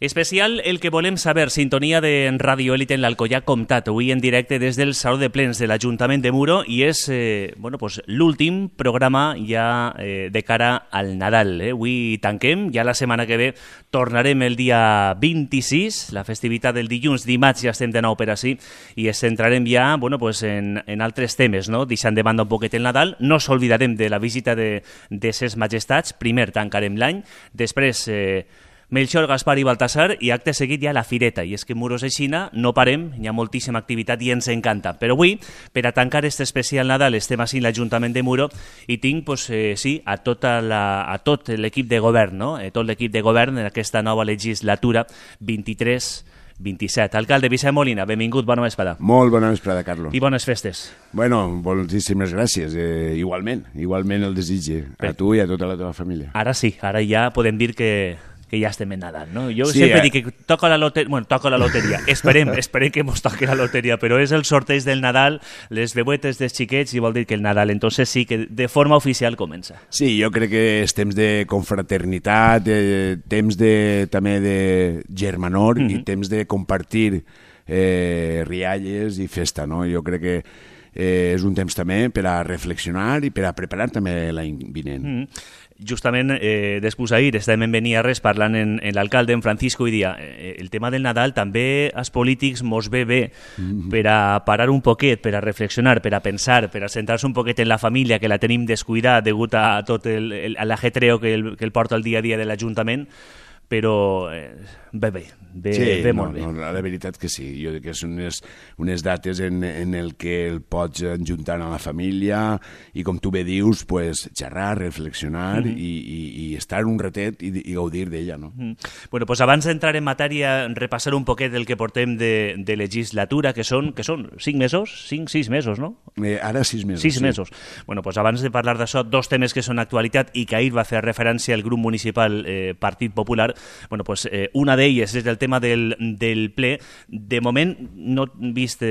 Especial el que volem saber, sintonia de Radio Élite en l'Alcoià Comtat, avui en directe des del Saló de Plens de l'Ajuntament de Muro i és l'últim programa ja de cara al Nadal. Avui tanquem, ja la setmana que ve tornarem el dia 26, la festivitat del dilluns, dimarts ja estem de nou per ací i ens centrarem ja en altres temes, no? Deixant de banda un poquet el Nadal, no s'oblidarem de la visita de ses majestats, primer tancarem l'any, després Melchor, Gaspar i Baltasar i acte seguit ja la fireta. I és que Muros de Xina no parem, hi ha moltíssima activitat i ens encanta. Però avui, per a tancar este especial Nadal, estem així l'Ajuntament de Muro i tinc, a tot l'equip de govern, no? Tot l'equip de govern en aquesta nova legislatura 23-27. Alcalde Vicent Molina, benvingut, bona vesprada. Molt bona vesprada, Carlos. I bones festes. Bueno, moltíssimes gràcies. Igualment el desitge a tu i a tota la teva família. Ara sí, ara ja podem dir que ja estem en Nadal, no? Jo sempre dic que toca la loteria. Esperem que mos toqui la loteria, però és el sorteig del Nadal, les beuetes dels xiquets i vol dir que el Nadal, entonces sí que de forma oficial comença. Sí, jo crec que és temps de confraternitat, temps també de germanor i temps de compartir rialles i festa, no? Jo crec que és un temps també per a reflexionar i per a preparar també l'any vinent. Justament, després ahir estàvem en Beniarres parlant en l'alcalde, en Francisco, i dia el tema del Nadal també als polítics mos ve bé per a parar un poquet, per a reflexionar, per a pensar, per a centrar-se un poquet en la família, que la tenim descuidada degut a tot l'ajetreo que el porta el dia a dia de l'Ajuntament, però ve molt bé. La veritat que sí, jo dic que són unes dates en el que el pots ajuntar a la família i, com tu bé dius, xerrar, reflexionar i estar un ratet i gaudir d'ella, no? Bueno, abans d'entrar en matèria, repassar un poquet el que portem de legislatura, que són 5 mesos? 6 mesos, no? Ara 6 mesos. 6 mesos. Bueno, abans de parlar d'això, dos temes que són actualitat i que ahir va fer referència al grup municipal Partit Popular. Bueno, una d'elles és el tema del ple. De moment no he vist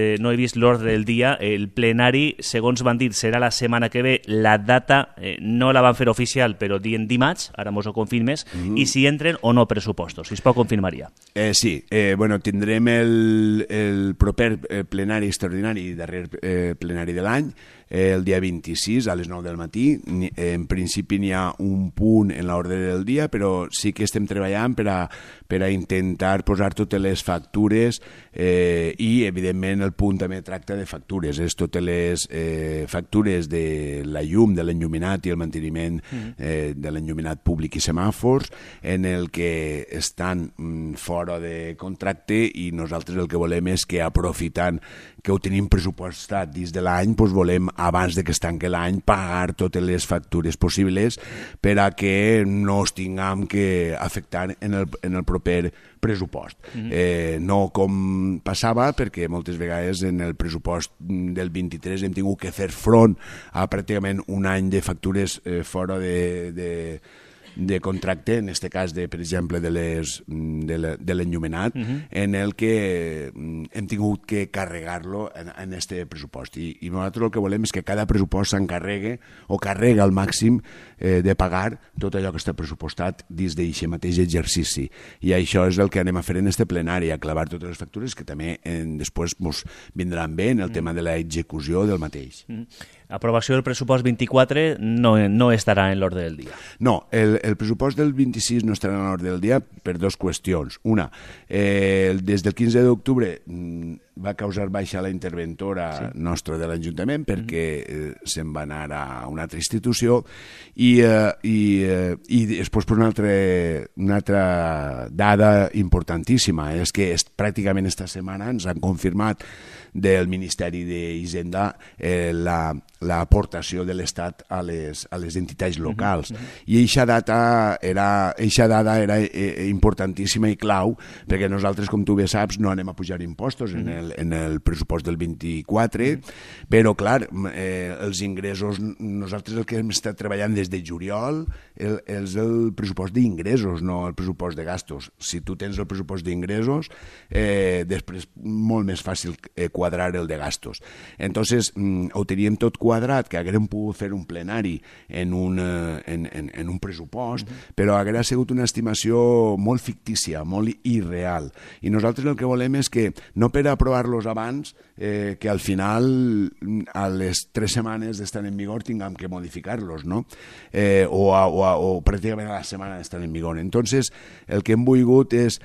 l'ordre del dia. El plenari, segons van dir, serà la setmana que ve. La data no la van fer oficial, però dient dimarts, ara mos ho confirmes, i si entren o no pressupostos, si es pot confirmar ja. Sí, tindrem el proper plenari extraordinari, darrer plenari de l'any, el dia 26 a les 9 del matí. En principi n'hi ha un punt en l'ordre del dia, però sí que estem treballant per a intentar posar totes les factures i, evidentment, el punt també tracta de factures. És totes les factures de la llum, de l'enlluminat i el manteniment de l'enlluminat públic i semàfors, en el que estan fora de contracte, i nosaltres el que volem és que, aprofitant que ho tenim pressupostat dins de l'any, volem, abans de que es tanqui l'any, pagar totes les factures possibles per a que no es tinguem que afectar en el proper pressupost. No com passava, perquè moltes vegades en el pressupost del 23 hem tingut que fer front a pràcticament un any de factures fora de contracte, en aquest cas, per exemple, de l'enllumenat, en el que hem tingut que carregar-lo en aquest pressupost. I nosaltres el que volem és que cada pressupost s'encarregui o carrega al màxim de pagar tot allò que està pressupostat dins d'aquest mateix exercici. I això és el que anem a fer en este plenari, a clavar totes les factures que també després ens vindran bé en el tema de l'execució del mateix. Aprovació del pressupost 24 no estarà en l'ordre del dia. No, el pressupost del 26 no estarà en l'ordre del dia per dues qüestions. Una, des del 15 d'octubre va causar baixa la interventora nostra de l'Ajuntament perquè se'n va anar a una altra institució i després una altra dada importantíssima és que pràcticament esta setmana ens han confirmat del Ministeri d'Hisenda l'aportació de l'Estat a les entitats locals. I eixa dada era importantíssima i clau, perquè nosaltres, com tu bé saps, no anem a pujar impostos en el pressupost del 24, però, clar, els ingressos, nosaltres el que hem estat treballant des de juliol és el pressupost d'ingressos, no el pressupost de gastos. Si tu tens el pressupost d'ingressos, després molt més fàcil quadrar el de gastos. Entonces, ho teníem tot quadrat que haguérem pogut fer un plenari en un pressupost, però haguera sigut una estimació molt fictícia, molt irreal. I nosaltres el que volem és que, no per aprovar-los abans, que al final, a les 3 setmanes d'estar en vigor, tinguem que modificar-los, no? O pràcticament a la setmana d'estar en vigor. Entonces, el que hem volgut és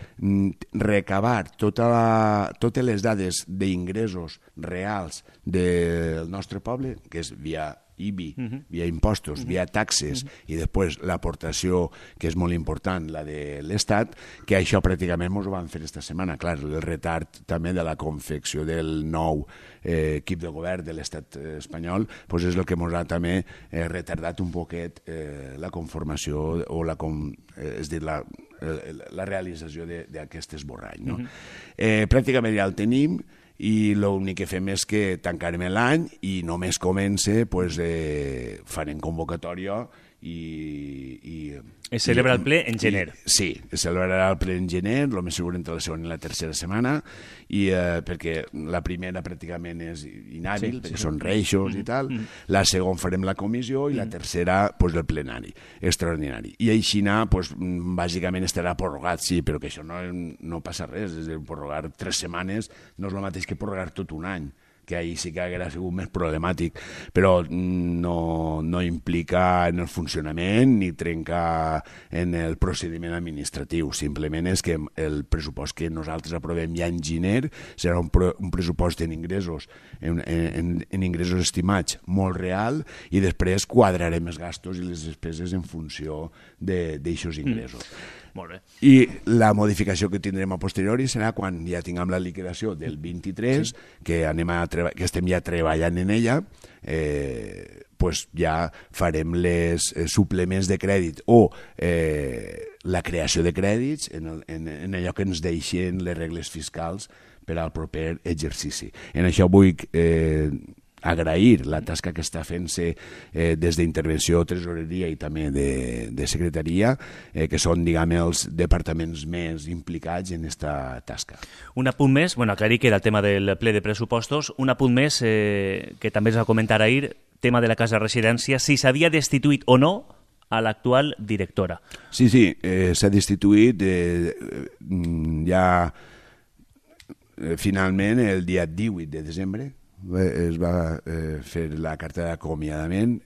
recabar totes les dades d'ingressos reals del nostre poble, que és via IBI, via impostos, via taxes i després l'aportació, que és molt important, la de l'Estat, que això pràcticament ens ho van fer esta setmana. Clar, el retard també de la confecció del nou equip de govern de l'Estat espanyol és el que ens ha també retardat un poquet la conformació o és dir, la realització d'aquest esborrany. Pràcticament ja el tenim, i l'únic que fem és que tancarem l'any i només comença, farem convocatòria i es celebra el ple en gener. Sí, es celebrarà el ple en gener, el més segur entre la segona i la tercera setmana, i perquè la primera pràcticament és inhàbil, perquè són reixos i tal, la segona farem la comissió i la tercera el plenari extraordinari. I així, bàsicament estarà prorrogat, sí, però que això no passa res, és a dir, prorrogar 3 setmanes no és el mateix que prorrogar tot un any, que ahir sí que hauria sigut més problemàtic, però no implica en el funcionament ni trenca en el procediment administratiu. Simplement és que el pressupost que nosaltres aprovem ja en gener serà un pressupost en ingressos, en ingressos estimats molt real, i després quadrarem els gastos i les despeses en funció d'aixòs ingressos. Molt bé. I la modificació que tindrem a posteriori serà quan ja tinguem la liquidació del 23, que estem ja treballant en ella, ja farem les suplements de crèdit o la creació de crèdits en allò que ens deixen les regles fiscals per al proper exercici. En això vull agrair la tasca que està fent-se des d'intervenció, tresoreria i també de secretaria, que són, diguem, els departaments més implicats en aquesta tasca. Un apunt més, aclarir que era el tema del ple de pressupostos, un apunt més que també es va comentar ahir, tema de la casa de residència, si s'havia destituït o no a l'actual directora. Sí, s'ha destituït ja finalment el dia 18 de desembre, es va fer la carta d'acomiadament,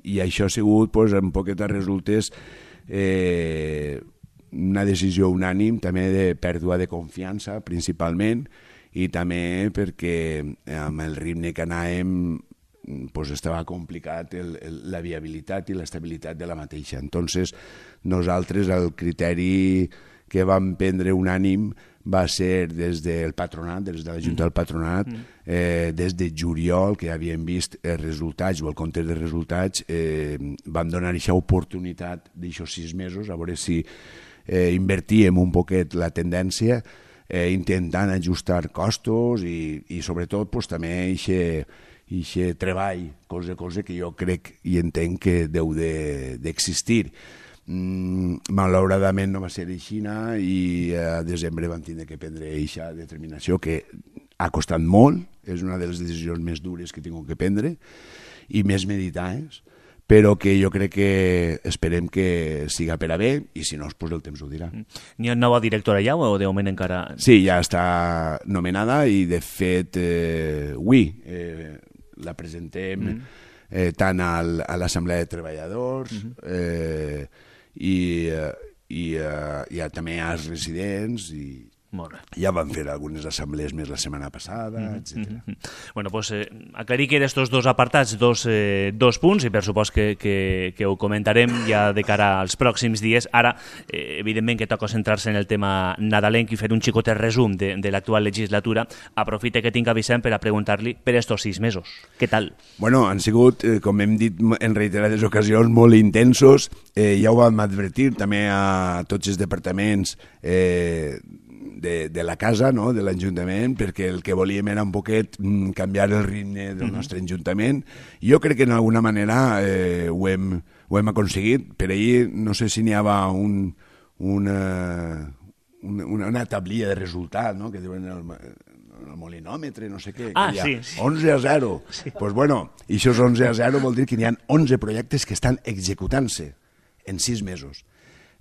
i això ha sigut, en poquetes resultes, una decisió unànim també de pèrdua de confiança principalment, i també perquè amb el ritme que anàvem estava complicat la viabilitat i l'estabilitat de la mateixa. Entonces, nosaltres el criteri que vam prendre unànim va ser des del patronat, des de la Junta del Patronat, des de juliol, que havíem vist els resultats o el compte de resultats, vam donar aquesta oportunitat d'aixòs 6 mesos, a veure si invertíem un poquet la tendència, intentant ajustar costos i sobretot també aquest treball, cosa que jo crec i entenc que deu d'existir. Malauradament no va ser així i a desembre vam tindre que prendre aquesta determinació que ha costat molt, és una de les decisions més dures que he tingut que prendre i més meditades, però que jo crec que esperem que siga per a bé i si no, el temps ho dirà. N'hi ha nova directora ja o de moment encara...? Sí, ja està nomenada i de fet avui la presentem tant a l'Assemblea de Treballadors i també als residents i ja van fer algunes assemblees més la setmana passada, etc. Bueno, pues aclarir que d'estos dos apartats, dos punts, i per supost que ho comentarem ja de cara als pròxims dies. Ara, evidentment que toca centrar-se en el tema nadalenc i fer un xicotet resum de l'actual legislatura. Aprofite que tinc a Vicent per a preguntar-li per estos 6 mesos. Què tal? Bueno, han sigut, com hem dit en reiterades ocasions, molt intensos. Ja ho vam advertir també a tots els departaments de la casa, de l'Ajuntament, perquè el que volíem era un poquet canviar el ritme del nostre Ajuntament. Jo crec que d'alguna manera ho hem aconseguit. Per ahir no sé si n'hi havia una tablilla de resultat, que diuen en el molinòmetre, no sé què. Sí. 11-0. Sí. Pues bueno, i això 11-0 vol dir que n'hi ha 11 projectes que estan executant-se en 6 mesos.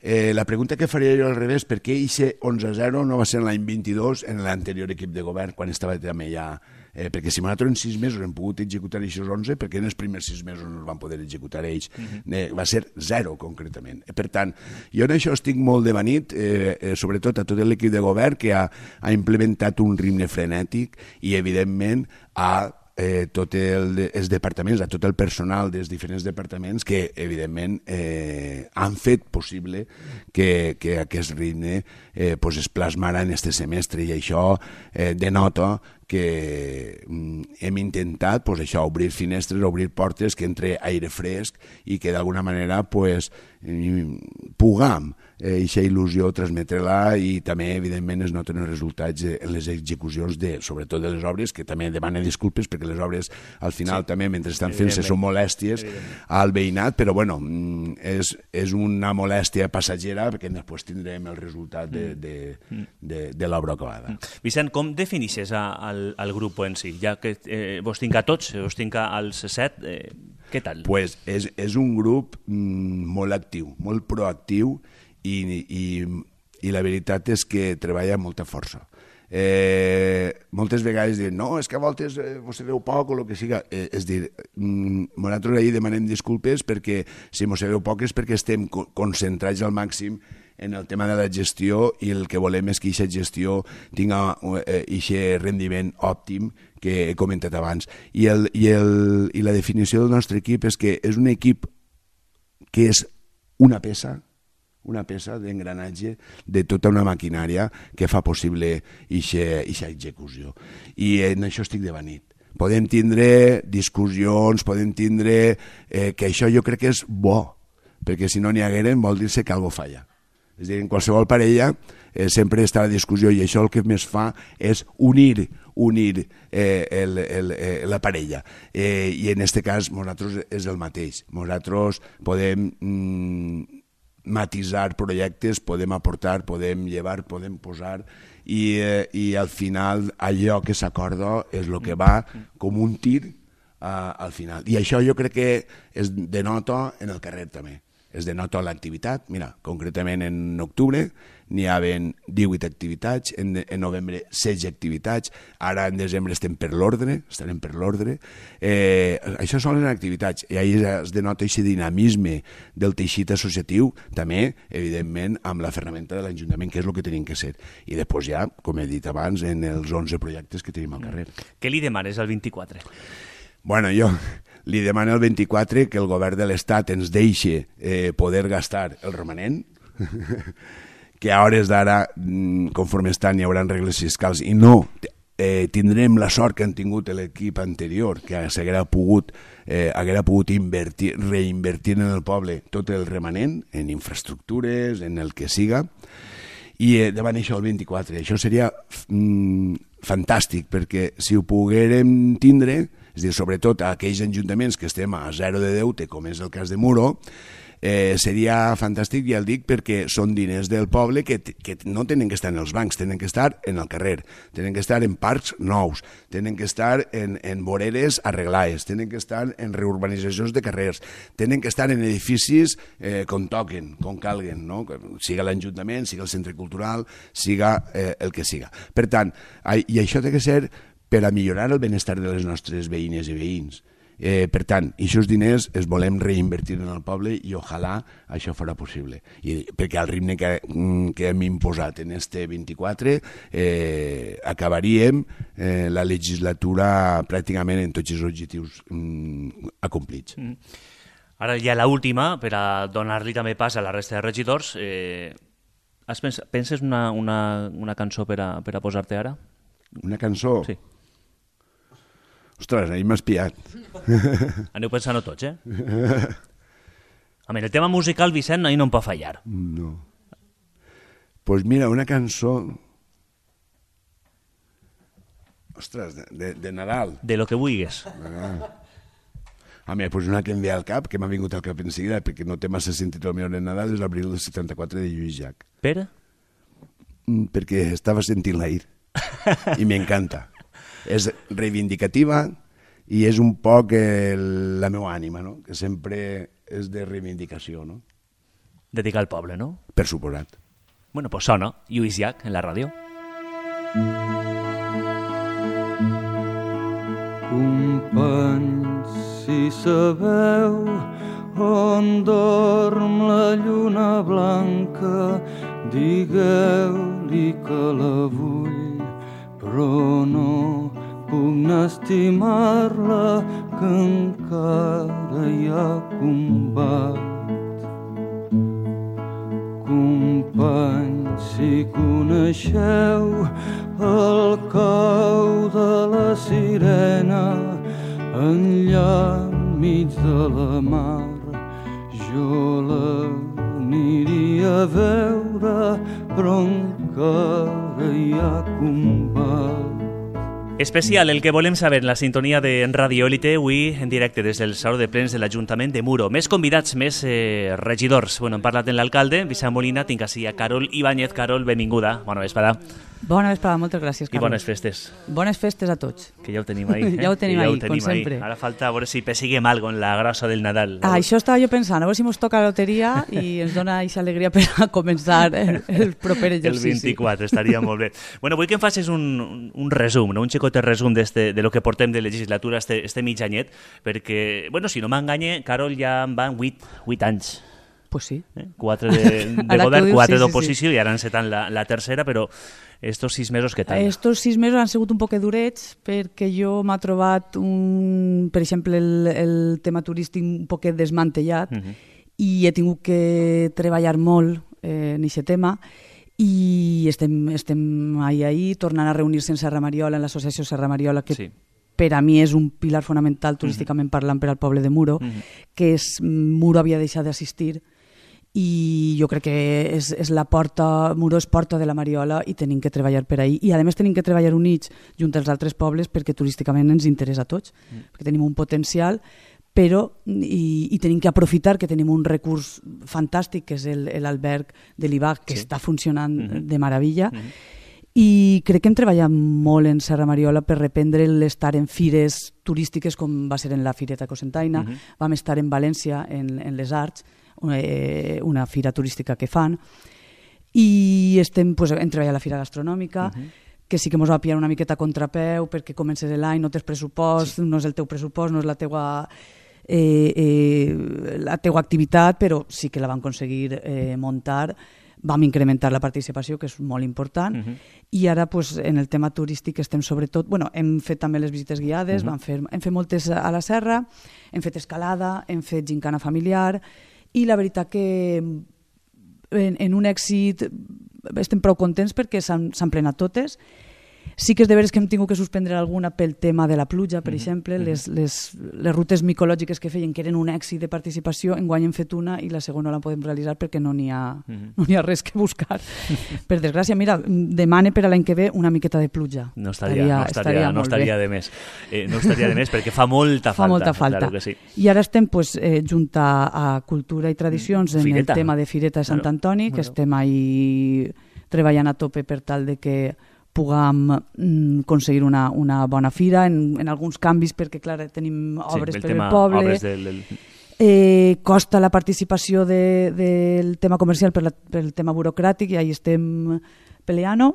La pregunta que faria jo al revés, per què aquest 11-0 no va ser l'any 22 en l'anterior equip de govern, quan estava també ja... perquè si nosaltres en 6 mesos hem pogut executar aquests 11, perquè en els primers 6 mesos no es van poder executar ells. Va ser 0, concretament. Per tant, jo en això estic molt devanit, sobretot a tot l'equip de govern, que ha implementat un ritme frenètic i, evidentment, tots els departaments, a tot el personal dels diferents departaments que, evidentment, han fet possible que aquest ritme es plasmara en aquest semestre, i això denota que hem intentat obrir finestres, obrir portes, que entre aire fresc i que d'alguna manera puguem aquesta il·lusió transmetre-la, i també evidentment es noten els resultats en les execucions sobretot de les obres, que també demanen disculpes perquè les obres al final també mentre estan fent-se són molèsties al veïnat, però bueno, és una molèstia passatgera perquè després tindrem el resultat de l'obra acabada. Vicent, com definixes al grup en si? Ja que vos tinc a tots, vos tinc als 7, què tal? Pues és un grup molt actiu, molt proactiu, i la veritat és que treballa amb molta força. Moltes vegades diuen no, és que a voltes vos sabeu poc o el que siga. És dir, nosaltres ahir demanem disculpes perquè si mos sabeu poc és perquè estem concentrats al màxim en el tema de la gestió, i el que volem és que aquesta gestió tingui aquest rendiment òptim que he comentat abans. I la definició del nostre equip és que és un equip que és una peça d'engranatge de tota una maquinària que fa possible aquesta execució. I en això estic devanit. Podem tindre discussions, podem tindre... que això jo crec que és bo, perquè si no n'hi hagueren vol dir-se que alguna falla. És a dir, en qualsevol parella sempre està la discussió, i això el que més fa és unir la parella. I en aquest cas nosaltres és el mateix. Nosaltres podem matisar projectes, podem aportar, podem llevar, podem posar, i al final allò que s'acorda és el que va com un tir al final. I això jo crec que es denota en el carrer també. Es denota l'activitat. Mira, concretament en octubre n'hi havien 18 activitats, en novembre 16 activitats, ara en desembre estarem per l'ordre. Això són les activitats, i ahir es denota aquest dinamisme del teixit associatiu, també, evidentment, amb la ferramenta de l'Ajuntament, que és el que tenim que ser. I després ja, com he dit abans, en els 11 projectes que tenim al carrer. Què li demanes al 24? Bueno, jo li demano al 24 que el govern de l'Estat ens deixi poder gastar el romanent, que a hores d'ara, conforme estan, hi haurà regles fiscals, i no tindrem la sort que han tingut l'equip anterior, que s'haguera pogut reinvertir en el poble tot el remanent, en infraestructures, en el que siga, i davant això el 24. Això seria fantàstic, perquè si ho poguérem tindre, és a dir, sobretot a aquells ajuntaments que estem a 0 de deute, com és el cas de Muro, seria fantàstic, ja el dic, perquè són diners del poble que no tenen que estar en els bancs, tenen que estar en el carrer, tenen que estar en parcs nous, tenen que estar en voreres arreglades, tenen que estar en reurbanitzacions de carrers, tenen que estar en edificis com toquen, com calguen, no? Siga l'Ajuntament, siga el centre cultural, siga el que siga. Per tant, i això té que ser per a millorar el benestar de les nostres veïnes i veïns. Per tant, aquests diners els volem reinvertir en el poble, i ojalà això farà possible. Perquè al ritme que hem imposat en este 24 acabaríem la legislatura pràcticament en tots els objectius acomplits. Ara ja l'última, per a donar-li també pas a la resta de regidors. Penses una cançó per a posar-te ara? Una cançó? Sí. Ostres, ahir m'has pillat. Aneu pensant-ho tots, A el tema musical, Vicent, ahir no em pot fallar. No. Pues mira, una cançó... Ostres, de Nadal. De lo que vulguis. Pues una que em ve al cap, que m'ha vingut al cap en seguida, perquè no té massa sentit el meu de Nadal, és l'Abril del 74 de Lluís Llach. Per? Perquè estava sentint l'ahir. I m'encanta. és reivindicativa i és un poc la meva ànima, no? Que sempre és de reivindicació, no? Dedicar al poble, no? Per suposat. Bueno, pues sona Lluís Llach en la ràdio. Companys, si sabeu on dorm la lluna blanca, digueu-li que la vull, però no puc estimar-la, que encara hi ha combat. Companys, si coneixeu el cau de la sirena enllà enmig de la mar, jo l'aniria a veure, però encara hi ha combat. Especial el que volem saber en la sintonia de Radio Élite, avui en directe des del Saló de Plens de l'Ajuntament de Muro. Més convidats, més regidors. Bueno, hem parlat amb l'alcalde, Vicent Molina, tinc així a Carol Ibáñez. Carol, benvinguda. Bona vesprada. Bona vesprada, moltes gràcies, Carlos. I bones festes. Bones festes a tots. Que ja ho tenim ahí. Ja ho tenim ahí, com sempre. Ara falta a veure si pesiguem algo en la grossa del Nadal. Això estava jo pensant, a veure si ens toca la loteria i ens dona aquesta alegria per a començar el proper exercici. El 24, estaria molt bé. Bueno, vull que em facis un resum, no? Un xicotet resum de lo que portem de legislatura este mig anyet, perquè, bueno, si no m'enganye, Carol, ja en van 8 anys. Pues sí. 4 de govern, 4 d'oposició, sí. I ara encetant la tercera, però estos 6 mesos què tal? Estos 6 mesos han sigut un poc durets perquè jo m'ha trobat, per exemple, el tema turístic un poquet desmantellat i he tingut que treballar molt en aquest tema i estem ahí tornant a reunir-se en Serra Mariola, en l'associació Serra Mariola, que sí, per a mi és un pilar fonamental turísticament parlant per al poble de Muro, que Muro havia deixat d'assistir i jo crec que és la porta, Muro és porta de la Mariola i tenim que treballar per ahí. I a més tenim que treballar units junt als altres pobles perquè turísticament ens interessa a tots, perquè tenim un potencial, però i tenim que aprofitar que tenim un recurs fantàstic que és l'alberg de l'Ibac, que està funcionant de meravella. I crec que hem treballat molt en Serra Mariola per reprendre l'estar en fires turístiques com va ser en la Fireta Cocentaina, vam estar en València en les Arts, una fira turística que fan, i hem treballat a la fira gastronòmica, que sí que ens va pillar una miqueta a contrapeu perquè comences l'any, no tens pressupost, no és el teu pressupost, no és la teua activitat, però sí que la vam aconseguir muntar. Vam incrementar la participació, que és molt important, i ara en el tema turístic estem sobretot... Hem fet també les visites guiades, hem fet moltes a la serra, hem fet escalada, hem fet gincana familiar, i la veritat que en un èxit estem prou contents perquè s'han plenat totes. Sí que és de veres que hem tingut que suspendre alguna pel tema de la pluja, per exemple, les rutes micològiques que feien, que eren un èxit de participació, enguany hem fet una i la segona la podem realitzar perquè no n'hi ha res que buscar. Per desgràcia, mira, demane per a l'any que ve una miqueta de pluja. No estaria de més. No estaria de més perquè fa molta falta. Fa molta falta. Claro que sí. I ara estem junt a Cultura i Tradicions en el tema de Fireta de Sant Antoni, que estem ahí treballant a tope per tal de que puguem aconseguir una bona fira, en alguns canvis, perquè, clar, tenim obres per al poble. Costa la participació del tema comercial pel tema burocràtic, i ahí estem peleant.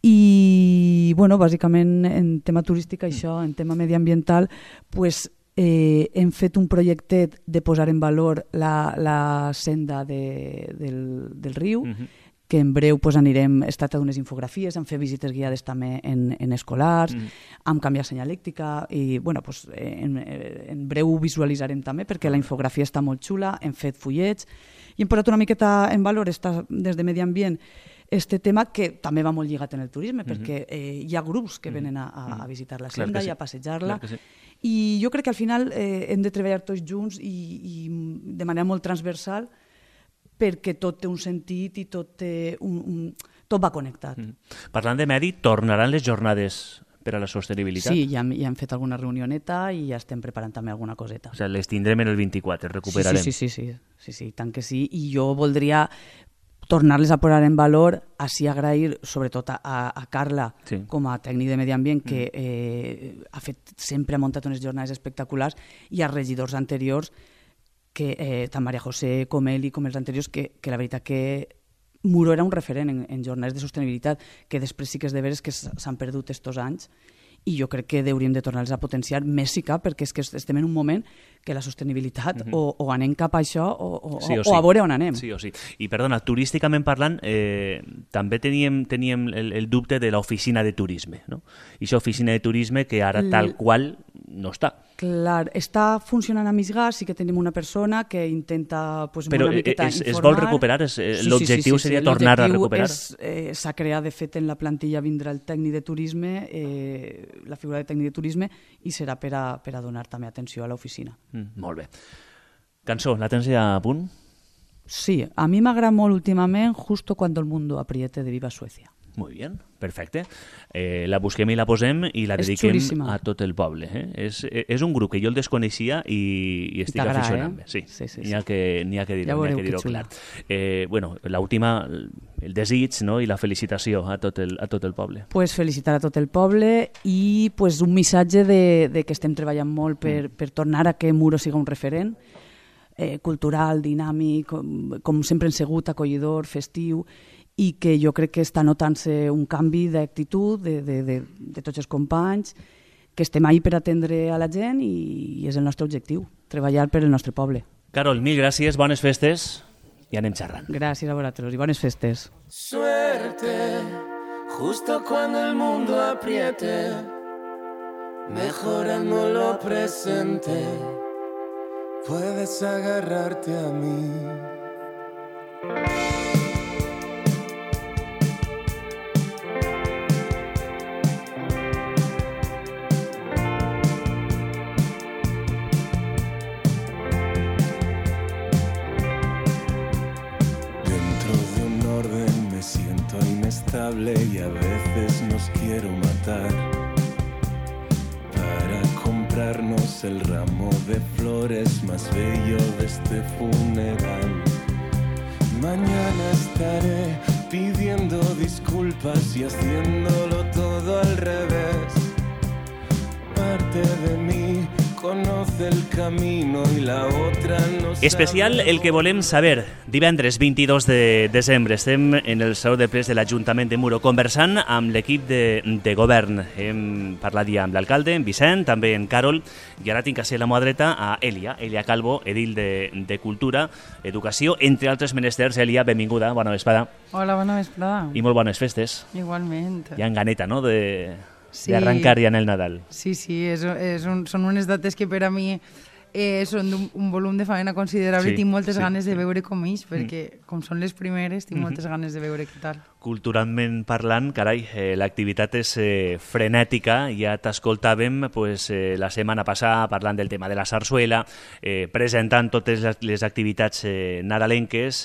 I, bàsicament, en tema turístic, això, en tema mediambiental, hem fet un projectet de posar en valor la senda del riu, que en breu anirem, es tracta d'unes infografies, hem fet visites guiades també en escolars, hem canviat senyalèctica i en breu ho visualitzarem també perquè la infografia està molt xula, hem fet fullets i hem posat una miqueta en valor des de Medi Ambient este tema que també va molt lligat en el turisme perquè hi ha grups que venen a visitar la senda i a passejar-la i jo crec que al final hem de treballar tots junts i de manera molt transversal perquè tot té un sentit i tot va connectat. Parlant de medi, tornaran les jornades per a la sostenibilitat? Sí, ja hem fet alguna reunioneta i ja estem preparant també alguna coseta. O sigui, les tindrem en el 24, recuperarem. Sí, tant que sí. I jo voldria tornar-les a posar en valor, així agrair sobretot a Carla com a tècnic de medi ambient, que ha fet sempre, ha muntat unes jornades espectaculars, i als regidors anteriors, que tant Maria José com ell i com els anteriors, que la veritat que Muro era un referent en jornades de sostenibilitat, que després sí que és de veres que s'han perdut estos anys, i jo crec que hauríem de tornar-les a potenciar més si cap, perquè és que estem en un moment que la sostenibilitat o anem cap a això o a veure on anem. Sí o sí. I perdona, turísticament parlant, també teníem el dubte de l'oficina de turisme, no? I aquesta oficina de turisme que ara tal qual no està. Clar, està funcionant a Misgàs, sí que tenim una persona que intenta però una miqueta informar. Es vol recuperar? L'objectiu seria tornar a recuperar? S'ha creat, de fet, en la plantilla vindrà el tècnic de turisme, la figura de tècnic de turisme, i serà per a donar també atenció a l'oficina. Molt bé. Cançó, la tens ja a punt? Sí, a mi m'agrada molt últimament Justo cuando el mundo apriete, de Viva Suecia. Muy bien, perfecte. La busquem i la posem i la dediquem a tot el poble. És un grup que jo el desconeixia i estic aficionant-me. Sí. N'hi ha que dir-ho clar. Bueno, l'última, el desig, no? I la felicitació a tot el poble. Pues felicitar a tot el poble i pues un missatge de que estem treballant molt per tornar a que Muro siga un referent cultural, dinàmic, com sempre hem sigut, acollidor, festiu, i que jo crec que està notant-se un canvi d'actitud de tots els companys, que estem ahí per atendre a la gent i és el nostre objectiu, treballar per el nostre poble. Carol, mil gràcies, bones festes i anem xerrant. Gràcies a vosaltres i bones festes. Suerte, justo cuando el mundo apriete, mejorando lo presente, puedes agarrarte a mí. Y a veces nos quiero matar para comprarnos el ramo de flores más bello de este funeral. Mañana estaré pidiendo disculpas y haciéndolo todo al revés. Parte de mí conoce el camino y la otra no sabe. Especial el que volem saber. Divendres 22 de desembre estem en el Saló de Plens de l'Ajuntament de Muro conversant amb l'equip de govern. Hem parlat ja amb l'alcalde, en Vicent, també en Carol, i ara tinc a ser la mà dreta a Elia Calvo, edil de Cultura, Educació, entre altres menesters. Elia, benvinguda, bona vesprada. Hola, bona vesprada. I molt bones festes. Igualment. Hi ha ganeta, no?, d'arrencar ja en el Nadal. Sí, són unes dates que per a mi són d'un volum de faena considerable i tinc moltes ganes de veure com ells, perquè com són les primeres tinc moltes ganes de veure què tal. Culturalment parlant, carai, l'activitat és frenètica. Ja t'escoltàvem la setmana passada parlant del tema de la sarsuela, presentant totes les activitats nadalenques.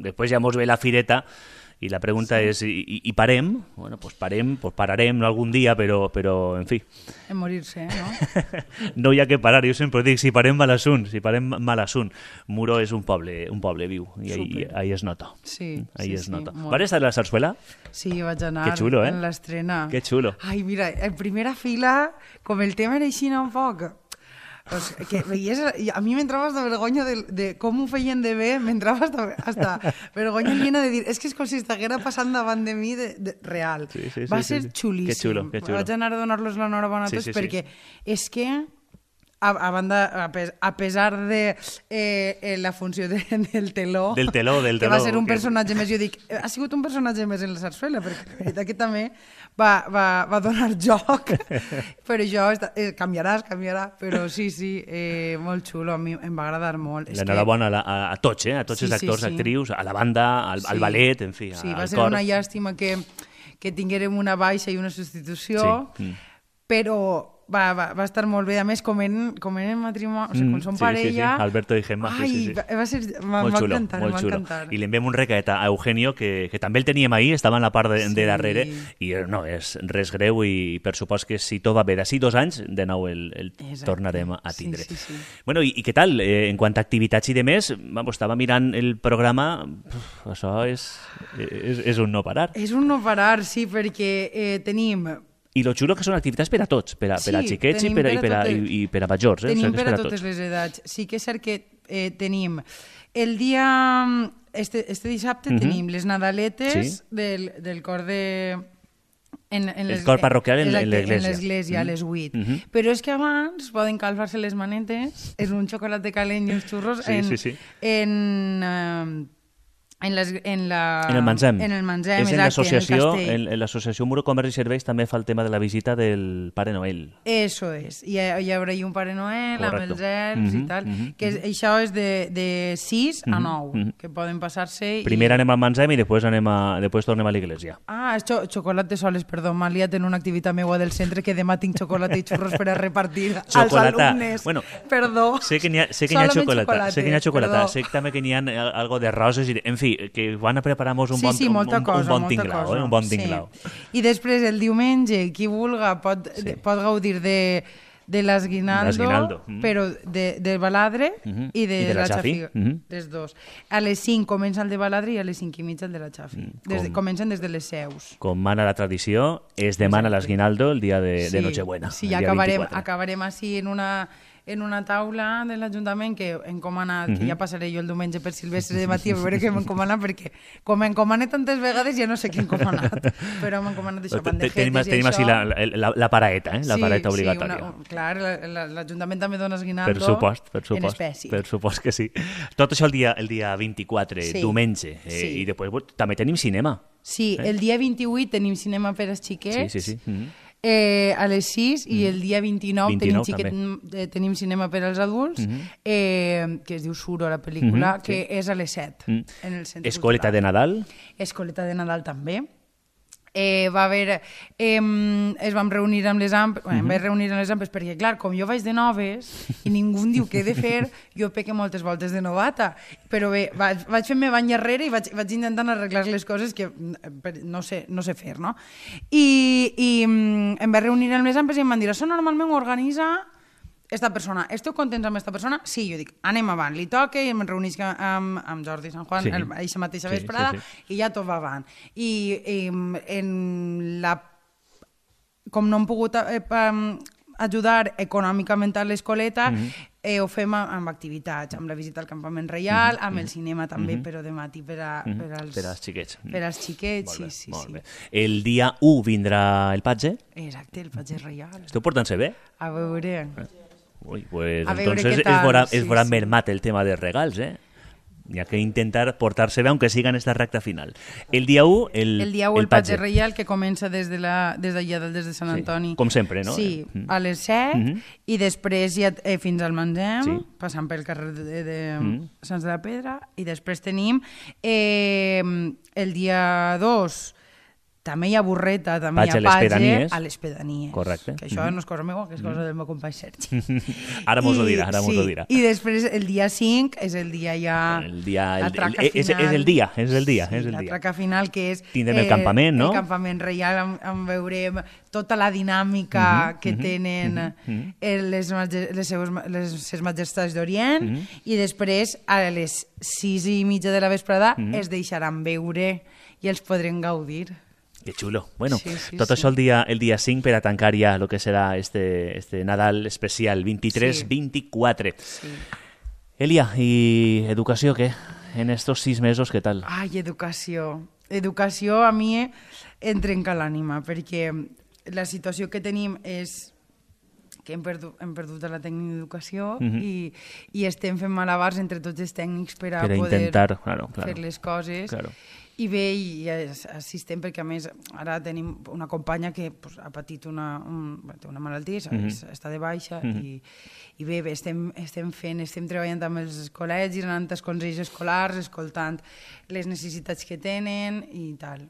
Després ja mos ve la fireta. I la pregunta és, i parem? Bueno, pues pararem algun dia, però en fi. En morir-se, no? No hi ha que parar, jo sempre dic, si parem mal assunt. Muro és un poble viu, i ahí es nota. Sí, ahí es nota. Vas estar a la sarsuela? Sí, vaig anar en l'estrena. Que xulo. Ai, mira, en primera fila, com el tema era així un poc... que veies, a mi m'entrava hasta vergonya de com ho feien de bé, m'entrava hasta vergonya llena de dir, és que és com si estiguera passant davant de mi real. Va ser xulíssim. Que xulo. Vaig anar a donar-los l'enhorabona a tots perquè és que a pesar de la funció del teló, que va ser un personatge més, jo dic, ha sigut un personatge més en la sarsuela, perquè la veritat que també va donar joc, però això canviarà, però sí, molt xulo, a mi em va agradar molt. L'enhorabona a tots, a tots els actors, actrius, a la banda, al ballet, en fi, al cor. Sí, va ser una llàstima que tinguérem una baixa i una substitució, però va estar molt bé. A més, com en matrimoni, o sigui, com són parella... Sí, Alberto i Gemma. Ai, va encantar. I li enviem un recat a Eugenio, que també el teníem ahir, estava en la part de darrere, i no és res greu, i per supost que si tot va bé d'ací 2 anys, de nou el tornarem a tindre. Sí. Bueno, i què tal? En quant a activitats i de més, estava mirant el programa, això és un no parar. És un no parar, sí, perquè tenim... I lo xulo que són activitats per a tots, per a xiquets i per a majors. Tenim per a totes les edats. Sí que és cert que tenim el dia... Este dissabte tenim les Nadaletes del cor de... El cor parroquial en l'església. En l'església, a les 8. Però és que abans poden calfar-se les manetes, és un xocolate calent i uns xurros en el Manzem. En el Manzem, és exacte, en l'associació Muro Comerç i Serveis també fa el tema de la visita del Pare Noel. Eso és. Hi haurà un Pare Noel amb els elfs i tal. Que això és de 6 a 9, que poden passar-se... Primer anem al Manzem i després tornem a l'església. És xocolate soles, perdó. M'ha liat en una activitat meua del centre que demà tinc xocolate i xurros per a repartir als alumnes. Bueno, perdó. Sé que n'hi ha xocolata. Sé també que n'hi ha algo de roses i... En fi, que van a preparar-nos un bon tinglao. I després, el diumenge, qui vulga pot gaudir de l'Esguinaldo, però de Baladre i de la Xafi, les dos. A les 5 comença el de Baladre i a les 5:30 el de la Xafi. Comencen des de les seus. Com mana la tradició, es demana l'Esguinaldo el dia de Nochebuena. Sí, acabarem així en una taula de l'Ajuntament que he encomanat, que ja passaré jo el diumenge per Silvestre de matí a veure què m'he encomanat, perquè com m'he encomanat tantes vegades ja no sé què he encomanat, però m'he encomanat això, bandejetes i això. Tenim així la paraeta, la paraeta obligatòria. Sí, clar, l'Ajuntament també dona esguinaldo en espècie. Per supost que sí. Tot això el dia 24, diumenge, i després també tenim cinema. Sí, el dia 28 tenim cinema per als xiquets. Sí. A les 6 i el dia 29 tenim cinema per als adults, que es diu Suro, la pel·lícula, que és a les 7 en el centre. Escoleta de Nadal? Escoleta de Nadal també. Es vam reunir amb les ampes, perquè, clar, com jo vaig de noves i ningú em diu què he de fer, jo peque moltes voltes de novata. Però bé, vaig fent-me bany darrere i vaig intentant arreglar les coses que no sé fer, no? I em vaig reunir amb les ampes i em van dir, això normalment ho organitza esta persona. Esteu contents amb esta persona? Sí, jo dic, anem avant. Li toca i em reunisc amb Jordi Sant Juan aquesta mateixa vesprada i ja tot va avant. I com no hem pogut ajudar econòmicament a l'escoleta, ho fem amb activitats, amb la visita al campament reial, amb el cinema també, però de matí per als xiquets. Per als xiquets, sí. El dia 1 vindrà el patge? Exacte, el patge reial. Esteu portant-se bé? A veure... Ui, pues entonces es veurà mermat el tema dels regals, Hi ha que intentar portar-se bé, aunque siga en esta recta final. El dia 1, el patge reial, que comença des d'allà, des de Sant Antoni. Com sempre, no? Sí, a les 7, i després ja fins al Manzem, passant pel carrer de Sants de la Pedra, i després tenim el dia 2, també hi ha burreta, també hi ha patge a les pedanies. Correcte. Que això no és cosa meva, que és cosa del meu company Sergi. Ara mos ho dirà. I després el dia 5 és el dia ja... la traca final. És el dia. La traca final, que és... Tindrem el campament, no? El campament reial, on veurem tota la dinàmica que tenen les seves majestats d'Orient, i després a les 6:30 de la vesprada es deixaran veure i els podrem gaudir. Que xulo. Bueno, tot això el dia 5 per a tancar ja el que serà este Nadal especial 23-24. Sí. Elia, ¿y educació què? En estos 6 mesos, què tal? Ai, educació. Educació a mi em trenca l'ànima, perquè la situació que tenim és que hem perdut la tècnica d'educació i estem fent malabars entre tots els tècnics per a poder intentar, fer les coses. Claro. I bé, i assistem, perquè a més ara tenim una companya que ha patit una malaltia, està de baixa, i bé, estem treballant amb els col·legis, anant als consells escolars, escoltant les necessitats que tenen i tal.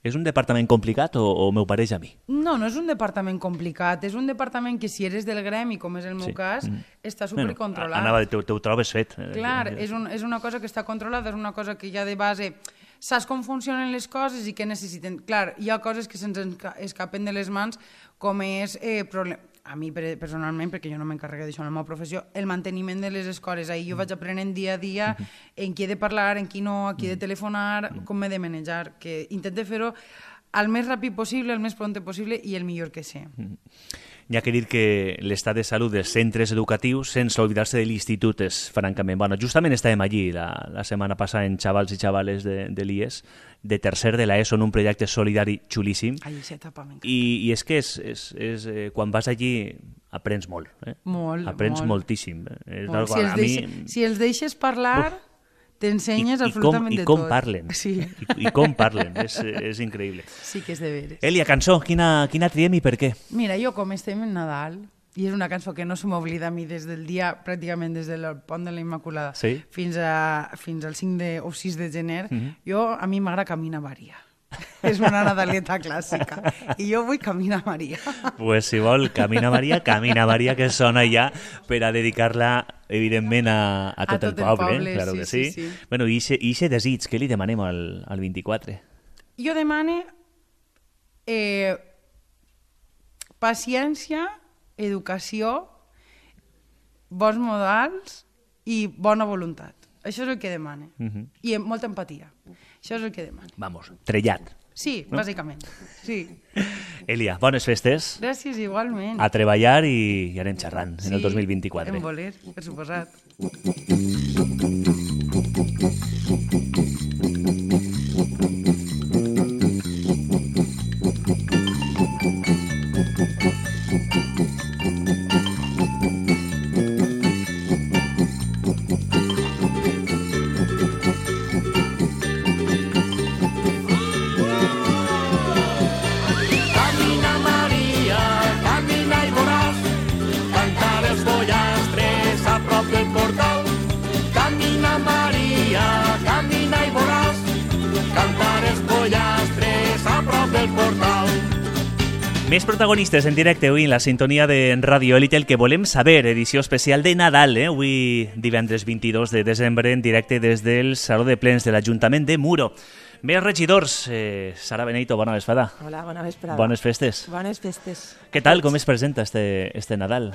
És un departament complicat o m'ho pareix a mi? No, no és un departament complicat, és un departament que si eres del gremi, com és el meu cas, està supercontrolat. Anava, t'ho trobes fet. Clar, és una cosa que està controlada, és una cosa que ja de base saps com funcionen les coses i què necessiten. Clar, hi ha coses que se'ns escapen de les mans, com és a mi personalment, perquè jo no m'encarrego d'això en la meva professió, el manteniment de les escoles. Ahir jo vaig aprenent dia a dia en qui he de parlar, en qui no, a qui he de telefonar, com m'he de manejar, que intento fer-ho el més ràpid possible, el més pront possible i el millor que sé. Hi ha que dir que l'estat de salut dels centres educatius, sense oblidar-se de l'institut, és francament... Bueno, justament estàvem allí la setmana passada en xavals i xavales de l'IES, de tercer de l'ESO, en un projecte solidari xulíssim. Ai, aquesta etapa m'encanta. I és que quan vas allí aprens molt. Molt, aprens molt. moltíssim. Si els deixes parlar... T'ensenyes absolutament de tot. I com parlen. Sí. I com parlen. És increïble. Sí que és de veres. Elia, cançó, quina triem i per què? Mira, jo com estem en Nadal, i és una cançó que no se m'oblida a mi des del dia, pràcticament des del pont de la Immaculada, fins al 5 o 6 de gener, a mi m'agrada Camina Maria. És una nadaleta clàssica. I jo vull Camina Maria. Pues si vol, Camina Maria, que sona ja per a dedicar-la, evidentment, a tot el poble. Claro que sí. Bueno, i aquest desig, què li demanem al 24? Jo demane paciència, educació, bons modals i bona voluntat. Això és el que demane. I molta empatia. Això és el que demane. Vamos, trellat. Sí, bàsicament. Sí. Elia, bones festes. Gràcies, igualment. A treballar i anem xerrant en el 2024. En voler, per suposat. Més protagonistes en directe avui en la sintonia de Radio Elite, el que volem saber, edició especial de Nadal, avui divendres 22 de desembre, en directe des del Saló de Plens de l'Ajuntament de Muro. Més regidors, Sara Benito, bona vesprada. Hola, bona vesprada. Bones festes. Bones festes. Què tal, com es presenta este Nadal?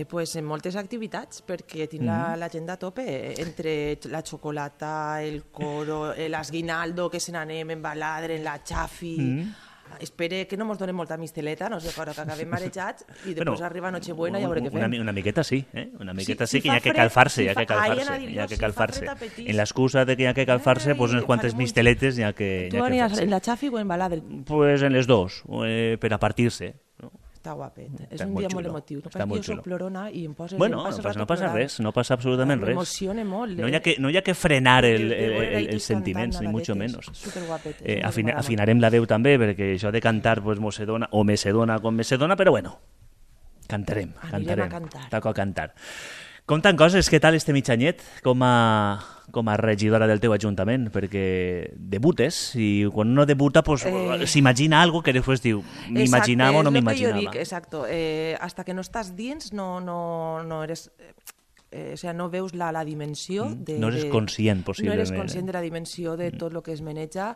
Pues en moltes activitats, perquè tinc l'agenda a tope, entre la xocolata, el coro, l'esguinaldo, que se n'anem en baladre, en la xafi... Espere que no mos donen molta misteleta, no sé, però que acabem marejats i després arriba Nochebuena i a veure què fem. Una miqueta sí, Una miqueta sí, que hi ha que calfar-se, En l'excusa de que hi ha que calfar-se, pues unes quantes misteletes hi ha que fer. Tu anies en la xafi o en baladre? Pues en les dos, per a partir-se. Està guapet, és un dia molt emotiu. Jo soc plorona i em poses... Bueno, no passa res, no passa absolutament res. M'emociona molt. No hi ha que frenar els sentiments, ni mucho menos. Superguapet. Afinarem la veu també, perquè això de cantar me dona com me se dona, però bueno, cantarem. Anirem a cantar. Toca cantar. Contant coses, què tal este mitjanyet com a regidora del teu ajuntament? Perquè debutes i quan uno debuta pues, s'imagina algo que després diu m'imaginava o no m'imaginava. Exacto, hasta que no estàs dins no eres... o sea, no veus la dimensió no eres conscient, possiblement. No eres conscient de la dimensió de tot el que es maneja.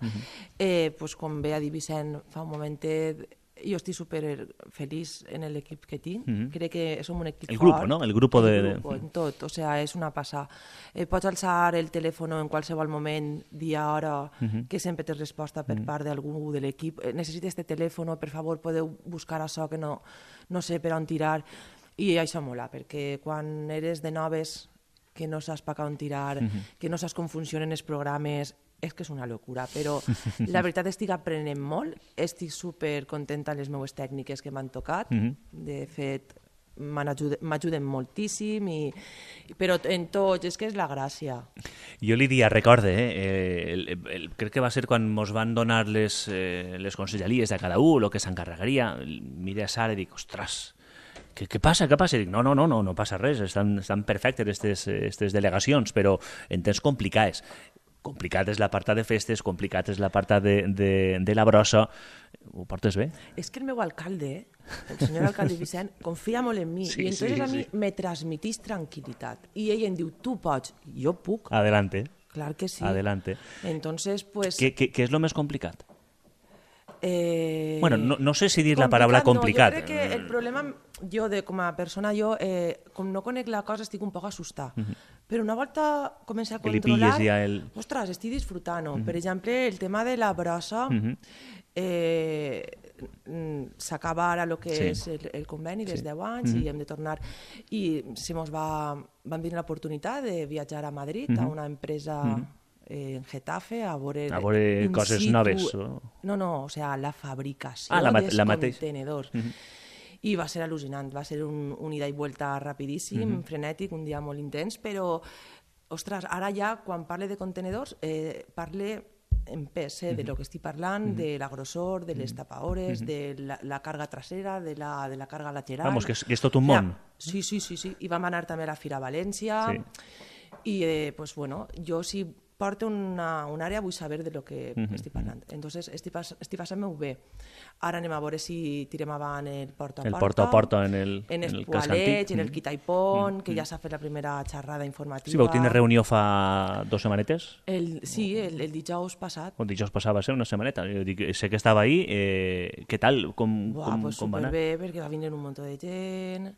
Pues, com bé ha dit Vicent fa un momentet, jo estic super feliç en l'equip que tinc. Crec que som un equip fort. El grupo, ¿no? El grupo en tot, o sea, és una passada. Pots alçar el telèfon en qualsevol moment, dia, hora, que sempre tens resposta per part d'algú de l'equip. Necessites este telèfon, per favor, podeu buscar això que no sé per on tirar. I això mola, perquè quan eres de noves, que no saps per on tirar, que no saps com funcionen els programes, és que és una locura, però la veritat estic aprenent molt, estic supercontenta amb les meves tècniques que m'han tocat, de fet m'ajuden moltíssim, però en tot, és que és la gràcia. Jo li dia, recorde, crec que va ser quan ens van donar les conselleries de cada un, el que s'encarregaria, miré a Sara i dic, ostres, què passa? Dic, no passa res, estan perfectes aquestes delegacions, però en temps complicades. complicat és l'apartat de festes, complicat és l'apartat de la brossa. Ho portes bé? És que el meu alcalde, el senyor alcalde Vicent, confia molt en mi i entonces a mi me transmitís tranquil·litat. I ell em diu, tu pots, jo puc. Adelante. Clar que sí. Adelante. Entonces, pues... ¿Qué es lo más complicat? Bueno, no sé si dir la paraula complicat. No, jo crec que el problema, jo com a persona, com no conec la cosa, estic un poc assustada. Però una volta comença a controlar, ostres, estic disfrutant-ho. Per exemple, el tema de la brossa, s'acaba ara el que és el conveni dels 10 anys i hem de tornar. I vam venir l'oportunitat de viatjar a Madrid a una empresa... en Getafe a veure coses noves. No, o sea, la fabricació dels contenedors. I va ser al·lucinant, va ser un ida i vuelta rapidíssim, frenètic, un dia molt intens, però, ostres, ara ja, quan parle de contenedors, parle en pes de lo que estic parlant, de la grossor, de les tapaores, de la càrrega trasera, de la càrrega lateral... Vamos, que és tot un món. Sí. I vam anar també a la Fira València i, pues, bueno, jo si porto una àrea vull saber de lo que estic parlant. Entonces, estic passant-me-ho bé. Ara anem a veure si tirem avant el porta a porta, en el Espoalets, en el Quitaipont, que ja s'ha fet la primera xerrada informativa. Sí, vau tenir reunió fa 2 setmanetes? Sí, el dijous passat. El dijous passat va ser una setmaneta. Jo dic, sé que estava ahí. Què tal? Com va anar? Superbé, perquè va venir un munt de gent...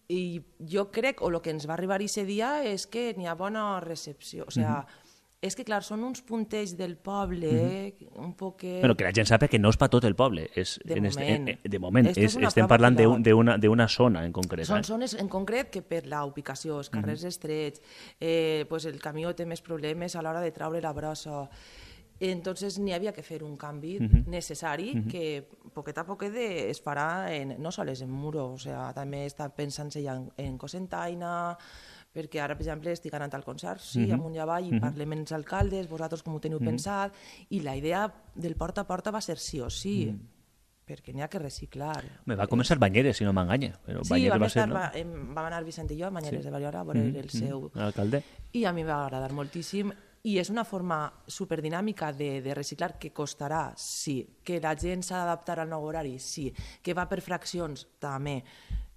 I jo crec, o el que ens va arribar aquest dia, és que n'hi ha bona recepció. O sigui, és que, clar, són uns puntets del poble, un poc... Però que la gent sap que no és per tot el poble. De moment. Estem parlant d'una zona en concret. Són zones en concret que per la ubicació, els carrers estrets, el camió té més problemes a l'hora de traure la brossa. Entonces n'hi havia que fer un canvi necessari que poquet a poquet es farà no sols en Muro, o sigui, també està pensant-se ja en Cocentaina, perquè ara, per exemple, estic anant al concert, amunt i avall, i parlem amb els alcaldes, vosaltres com ho teniu pensat, i la idea del porta a porta va ser sí o sí, perquè n'hi ha que reciclar. Va començar Banyeres, si no m'enganya. Sí, vam anar Vicent i jo a Banyeres de Ballora a veure el seu alcalde, i a mi va agradar moltíssim. I és una forma superdinàmica de reciclar que costarà, sí. Que la gent s'ha d'adaptar al nou horari, sí. Que va per fraccions, també.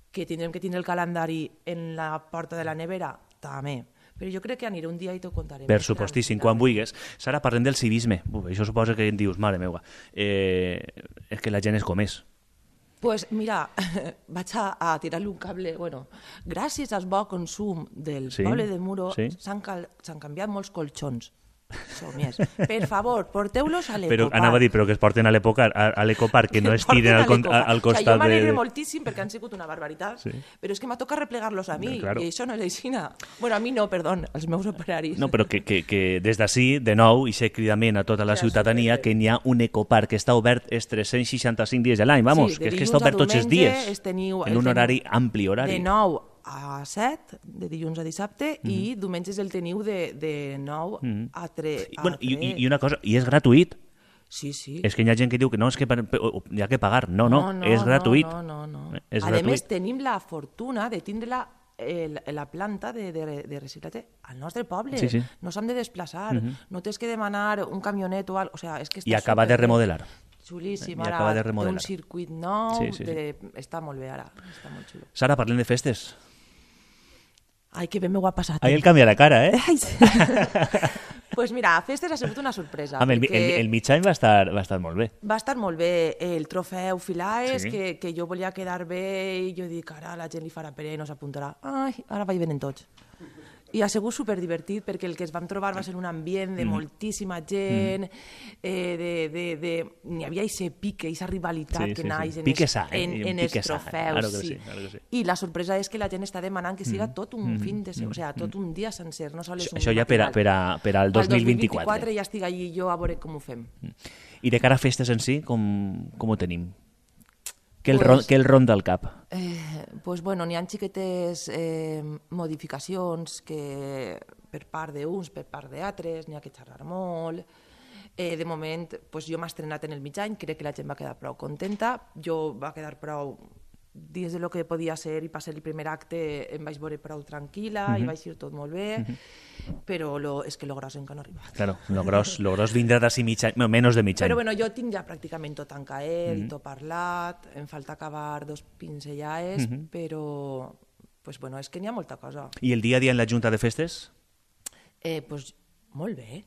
Que tindrem que tindre el calendari en la porta de la nevera, també. Però jo crec que aniré un dia i t'ho contaré. Per supostíssim, quan vulguis. Sara, parlem del civisme. Això suposa que em dius, mare meva, és que la gent és com és. Pues mira, vaig a tirar-li un cable. Bueno, gràcies al bo consum del poble de Muro s'han canviat molts colxons. Somies. Per favor, porteu-los a l'Ecopark. Però anava a dir, però que es porten a l'Ecopark, que no es tiren al costat de... Jo m'alegre moltíssim perquè han sigut una barbaritat, però és que m'ha tocat replegar-los a mi, i això no és aixina. Bueno, a mi no, perdó, als meus operaris. No, però que des d'ací, de nou, i sé cridament a tota la ciutadania que n'hi ha un Ecopark que està obert els 365 dies de l'any, vamos, que és que està obert tots els dies, en un horari ampli horari. De 9 a 7, de dilluns a dissabte, i diumenges el teniu de 9 a 3. I una cosa, i és gratuït. Sí. És que hi ha gent que diu que no, és que hi ha que pagar. No, és gratuït. No. A més, tenim la fortuna de tindre la planta de reciclatge al nostre poble. No s'han de desplaçar, no tens que demanar un camionet o alguna cosa. I acaba de remodelar. Xulíssim, ara té un circuit nou, està molt bé ara, està molt xulo. Sara, parlem de festes. Ai, que bé m'ho ha passat. Ahí el canvia la cara, Pues mira, a festes ha sigut una sorpresa. El mig any va estar molt bé. Va estar molt bé. El trofeu Filaes, que jo volia quedar bé, i jo dic, ara la gent li farà pere i no s'apuntarà. Ai, ara vaig venen tots. I ha sigut superdivertit perquè el que es vam trobar va ser un ambient de moltíssima gent, n'hi havia aquest pique, aquesta rivalitat que naix en els trofeus. I la sorpresa és que la gent està demanant que siga tot un fin de setmana, o sigui, tot un dia sencer, no sols un matinal. Això ja per al 2024. Al 2024 ja estic allí jo a veure com ho fem. I de cara a festes en si, com ho tenim? Què el ronda al cap? Pues bueno, n'hi ha xiquetes modificacions que per part d'uns, per part d'altres, n'hi ha que xerrar molt. De moment, jo m'he estrenat en el mig any, crec que la gent va quedar prou contenta, jo va quedar prou dins del que podia ser i passar el primer acte em vaig veure prou tranquil·la i vaig ir tot molt bé, però és que lo gros encara no ha arribat. Claro, lo gros vindrà d'ací mig any, menys de mig any. Però bueno, jo tinc ja pràcticament tot encaet i tot parlat, em falta acabar 2 pinzellades, però pues bueno, és que n'hi ha molta cosa. I el dia a dia en la Junta de Festes? Pues molt bé.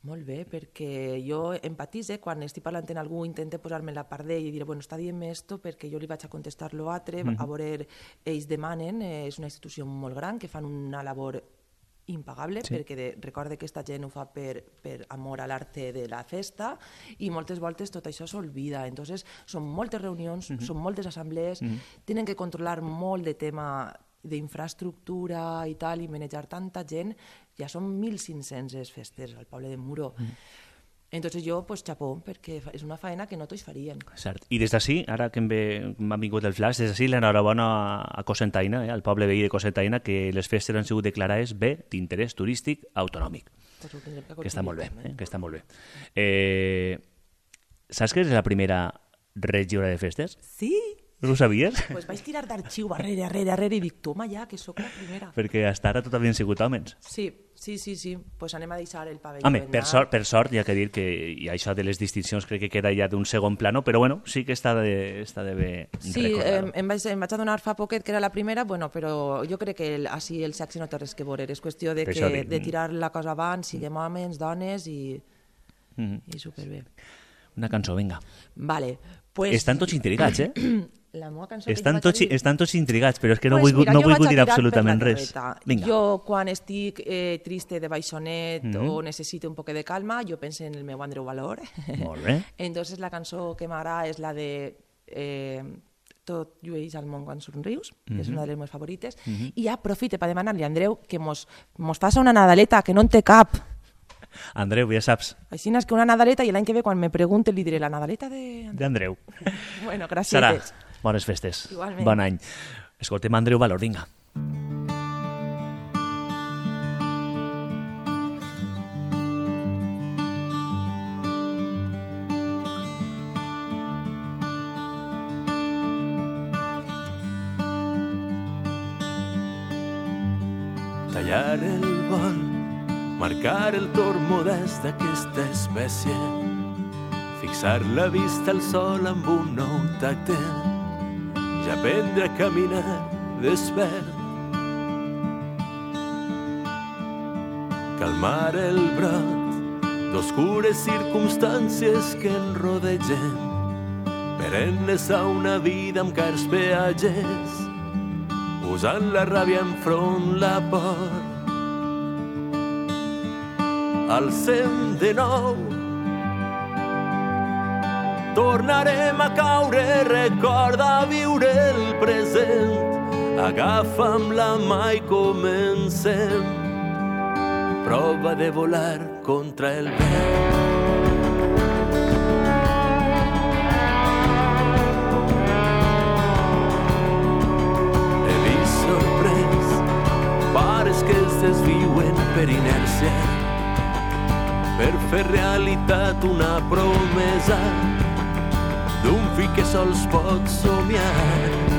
Molt bé, perquè jo empatitze quan estic parlant amb algú, intento posar-me en la part d'ell i dir, bueno, està dient-me esto perquè jo li vaig a contestar l'altre, a veure, ells demanen, és una institució molt gran que fan una labor impagable, perquè recorde que aquesta gent ho fa per amor a l'arte de la festa i moltes voltes tot això s'olvida. Entonces, són moltes reunions, són moltes assemblees, tenen que controlar molt de tema d'infraestructura i tal, i manejar tanta gent. Ja són 1.500 festes al poble de Muro. Entonces jo, pues, xapó, perquè és una faena que no tots farien. Cert. I des d'ací, ara que m'ha vingut el flash, des d'ací l'enhorabona a Cocentaina, al poble veí de Cocentaina, que les festes han sigut declarades bé d'interès turístic autonòmic. Que està molt bé, que està molt bé. Saps que és la primera regidora de festes? Sí. No ho sabies? Pues vaig tirar d'arxiu arrere i dic, toma ja, que sóc la primera. Perquè hasta ara tot havien sigut homes. Sí. Pues anem a deixar el pavelló. Home, per sort, hi ha que dir que hi ha això de les distincions crec que queda ja d'un segon plano, però bueno, sí que està de bé recordar-ho. Em vaig adonar fa poquet que era la primera, bueno, però jo crec que així el sexe no té res que veure, és qüestió de tirar la cosa abans, siguem homes, dones i superbé. Una cançó, vinga. Vale, pues... Estan tots intrigats, La meva cançó estan tots intrigats, però és que no vull dir absolutament res. Vinga. Jo, quan estic triste de baixonet o necessito un poc de calma, jo penso en el meu Andreu Valor. Molt bé. Entonces la cançó que m'agrada és la de Tot llueix al món quan somrius, que és una de les meves favorites, i aprofite per demanar-li a Andreu que mos faça una Nadaleta, que no en té cap. Andreu, ja saps. Així és que una Nadaleta, i l'any que ve, quan me pregunte, li diré la Nadaleta d'Andreu. Bueno, gràcies. Sara, bones festes. Igualment. Bon any. Escoltem Andreu Valor, vinga. Tallar el vol, marcar el torn modest d'aquesta espècie, fixar la vista al sol amb un nou tacte, ja aprendre a caminar despert, calmar el brot d'oscures circumstàncies que en rodegen, per enllaçar una vida amb cars peatges, usant la ràbia enfront la por. Alcem de nou, tornarem a caure, recorda viure el present, agafa'm la mà i comencem, prova de volar contra el vent. He vist sorprès pares que es desviuen per inèrcia, per fer realitat una promesa d'un fill que sols pot somiar.